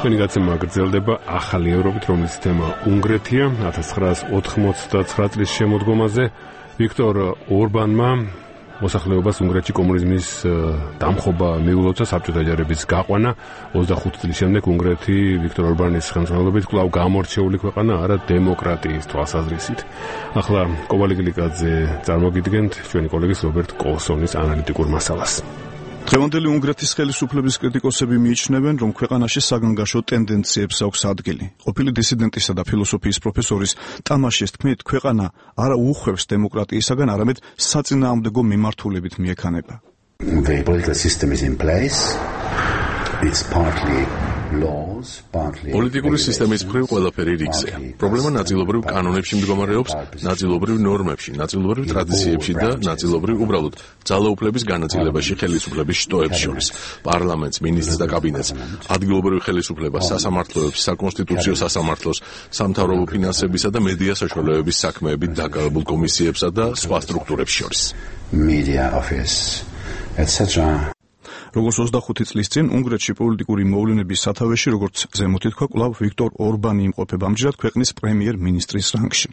Თქვენი გაცემა გრძელდება ახალი ევროპით, რომლის თემა უნგრეთია. 1989 წლის შემოდგომაზე ვიქტორ ორბანმა მოსახლეობას უნგრეთში კომუნიზმის დამხობა მიულოცა, საბჭოთა ჯარების გაყვანა. 25 წლის შემდეგ უნგრეთი ვიქტორ ორბანის ხელმძღვანელობით კვლავ გამორჩეული ქვეყანა არა დემოკრატიის თვალსაზრისით. ახლა კოვალიგლიკაძე წარმოგიდგენთ ჩვენი კოლეგის რობერტ კოლსონის ანალიტიკურ მასალას. დღევანდელი უნგრეთის ხელისუფლების კრიტიკოსები მიიჩნევენ, რომ ქვეყანაში საგანგაშო ტენდენციებს აქვს ადგილი. ყოფილი დისიდენტისა და ფილოსოფიის პროფესორის ტამაშის თქმით, ქვეყანა არა უხვევს დემოკრატიისაგან, არამედ საწინააღმდეგო მიმართულებით მიექანება. The political system is in place. It's partly laws, partly პოლიტიკური სისტემის მხრივ ყველაფერი რიგზეა. პრობლემა ნაწილობრივ კანონებში მდგომარეობს, ნაწილობრივ ნორმებში, ნაწილობრივ ტრადიციებში და ნაწილობრივ უბრალოდ ძალაუფლების განაწილებაში ხელისუფლების შტოებს შორის. პარლამენტს, მინისტრს და კაბინეტს, ადგილობრივ ხელისუფლებას, სასამართლოებს, საკონსტიტუციო სასამართლოს, სამთავრობო ფინანსებისა და მედია საშუალებების საქმეებით დაკავებულ კომისიებსა და სხვა სტრუქტურებს შორის. media office, etc. როგორც 25 წლის წინ უნგრეთში პოლიტიკური მოვლენების სათავეში, როგორც ზემოთ ითქვა, კვლავ ვიქტორ ორბანი იმყოფება ამჯერად ქვეყნის პრემიერ-მინისტრის რანგში.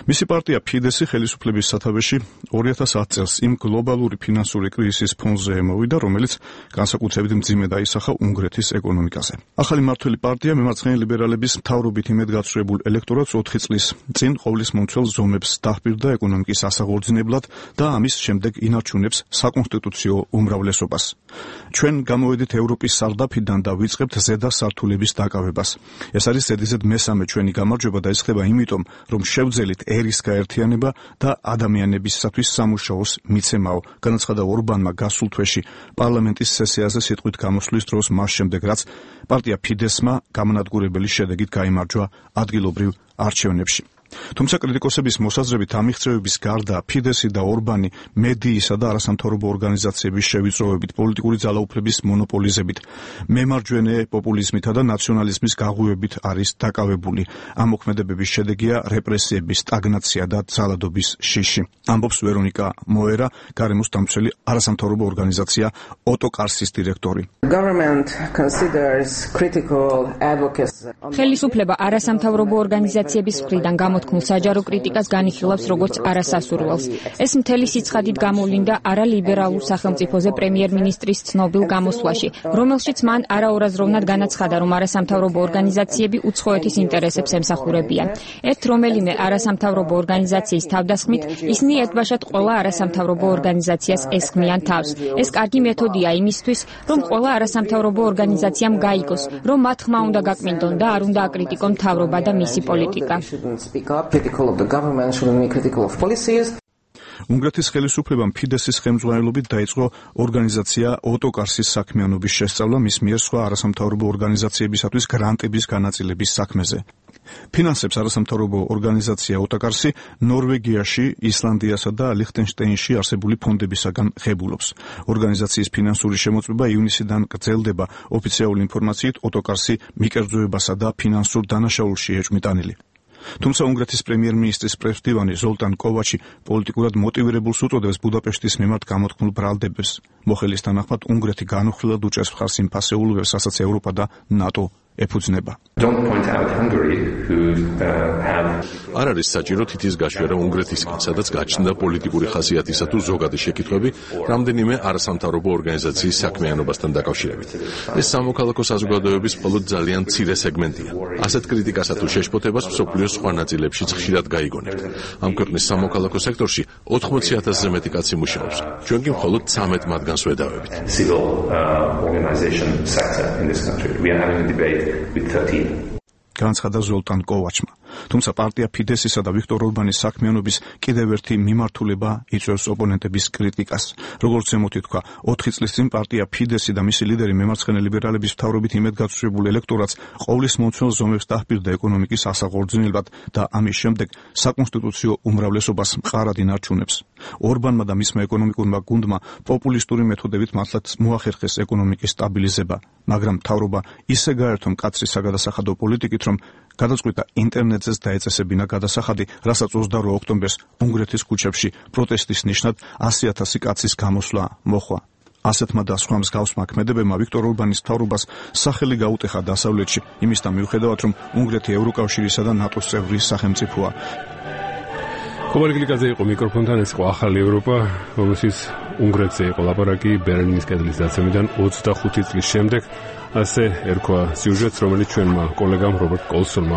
მისი პარტია ფიდესი ხელისუფლების სათავეში 2010 წელს იმ გლობალური ფინანსური კრიზისის ფონზე ემოვიდა, რომელიც განსაკუთრებით მძიმედ აისახა უნგრეთის ეკონომიკაზე. ახალი მმართველი პარტია მემარცხენე ლიბერალების მთავრობით იმედგაცრუებულ ელექტორატს 4 წლის წინ ყოვლის მომცველ ზომებს დაჰპირდა ეკონომიკის ასაღორძინებლად და ამის შემდეგ ინარჩუნებს საკონსტიტუციო უმრავლესობას. ჩვენ გამოვედით ევროპის სარდაფიდან და ვიწყებთ ზედა სართულების დაკავებას. ეს არის ზედიზედ მესამე ჩვენი გამარჯვება და ეს ხდება იმიტომ, რომ შევძელით ერის გაერთიანება და ადამიანებისათვის სამუშაოს მიცემაო, განაცხადა ორბანმა გასულ თვეში პარლამენტის სესიაზე სიტყვით გამოსვლის დროს, მას შემდეგ რაც პარტია ფიდესმა გამანადგურებელი შედეგით გაიმარჯვა ადგილობრივ არჩევნებში. თუმცა კრიტიკოსების მოსაზრებით ამ მიღწევების გარდა ფიდესი და ორბანი მედიისა და არასამთავრობო ორგანიზაციების შევიწროებით, პოლიტიკური ძალაუფლების მონოპოლიზებით, მემარჯვენე პოპულიზმითა და ნაციონალიზმის გაღვივებით არის დაკავებული. ამ მოქმედებების შედეგია რეპრესიების სტაგნაცია და ძალადობის შიში. ამბობს ვერონიკა მოერა, გარემოს დამცველი არასამთავრობო ორგანიზაცია ოტოკარსის დირექტორი. ხელისუფლება არასამთავრობო ორგანიზაციების მხრიდან გამოთქმულ საჯარო კრიტიკას განიხილავს როგორც არასასურველს. ეს მთელი სიცხადით გამოვლინდა არალიბერალურ სახელმწიფოზე პრემიერ-მინისტრის ცნობილ გამოსვლაში, რომელშიც მან არაურაზროვნად განაცხადა, რომ არასამთავრობო ორგანიზაციები უცხოეთის ინტერესებს ემსახურებიან. ერთ რომელიმე არასამთავრობო ორგანიზაციის თავდასხმით, ისინი ერთბაშად ყველა არასამთავრობო ორგანიზაციას ესხმიან თავს. ეს კარგი მეთოდია იმისთვის, რომ ყველა არასამთავრობო ორგანიზაციამ გაიგოს, რომ მათ ხმა უნდა გაკმინდონ და არ უნდა აკრიტიკონ მთავრობა და მისი პოლიტიკა. უნგრეთის ხელისუფლებამ ფიდესის ხელმძღვანელობით დაიწყო ორგანიზაცია ოტოკარსის საქმიანობის შესწავლა მის მიერ სხვა არასამთავრობო ორგანიზაციებისათვის გრანტების განაწილების საქმეზე. ფინანსებს არასამთავრობო ორგანიზაცია ოტოკარსი ნორვეგიაში, ისლანდიასა და ლიხტენშტეინში არსებული ფონდებისაგან ღებულობს. ორგანიზაციის ფინანსური შემოწმება ივნისიდან გრძელდება. ოფიციალური ინფორმაციით ოტოკარსი მიკერძოებასა და ფინანსურ დანაშაულში ეჭვმიტანილი. თუმცა უნგრეთის პრემიერ-მინისტრის პრესდივანი ზოლტან კოვაჩი პოლიტიკურად მოტივირებულს უწოდებს ბუდაპეშტის მიმართ გამოთქმულ ბრალდებას. მოხელის თანახმად უნგრეთი განუხილად უჭერს მხარს იმ ფასეულობებს, რასაც ევროპა და ნატო ეფუძნება. არ არის საჭირო თითის გაშვერა უნგრეთისგან, სადაც გაჩნდა პოლიტიკური ხასიათისა თუ ზოგადი შეკითხვები რამდენიმე არასამთავრობო ორგანიზაციის საქმიანობასთან დაკავშირებით. ეს სამოქალაქო საზოგადოების მხოლოდ ძალიან მცირე სეგმენტია. ასეთ კრიტიკასა თუ შეშფოთებას მსოფლიოს სხვა ნაწილებშიც ხშირად გაიგონებთ. ამ ქვეყნის სამოქალაქო სექტორში 80,000-ზე მეტი კაცი მუშაობს. ჩვენ კი მხოლოდ 13 მათგანს ვედავებით. განაცხადა ზოლტან კოვაჩმა. თუმცა პარტია ფიდესისა და ვიქტორ ორბანის საქმიანობის კიდევ ერთი მიმართულება იწვევს ოპონენტების კრიტიკას. როგორც ზემოთ ითქვა, 4 წლის წინ პარტია ფიდესი და მისი ლიდერი მემარცხენე ლიბერალების მთავრობით იმედგაცრუებულ ელექტორატს ყოვლის მომცველ ზომებს დაჰპირდა ეკონომიკის ასაღორძინებლად და ამის შემდეგ საკონსტიტუციო უმრავლესობას მყარად ინარჩუნებს. ორბანმა და მისმა ეკონომიკურმა გუნდმა პოპულისტური მეთოდებით მართლაც მოახერხეს ეკონომიკის სტაბილიზება, მაგრამ მთავრობა ისე გაერთო მკაცრი საგადასახადო პოლიტიკით, რომ გადაწყვიტა ინტერნეტზეც დაეწესებინა გადასახადი, რასაც 22 ოქტომბერს უნგრეთის ქუჩებში პროტესტის ნიშნად 100,000 კაცის გამოსვლა მოჰყვა. ასეთმა და სხვა მსგავსმა ქმედებებმა ვიქტორ ორბანის მთავრობას სახელი გაუტეხა დასავლეთში, იმისთან მიუხედავად, რომ უნგრეთი ევროკავშირისა და ნატოს წევრი სახელმწიფოა. ხომალიკლიძე იყო მიკროფონთან, ეს იყო ახალი ევროპა, რომელშიც უნგრეთზე იყო ლაპარაკი ბერლინის კედლის დაცემიდან 25 წლის შემდეგ. ასე ერქვა სიუჟეტს, რომელიც ჩვენმა კოლეგამ რობერტ კოლსონმა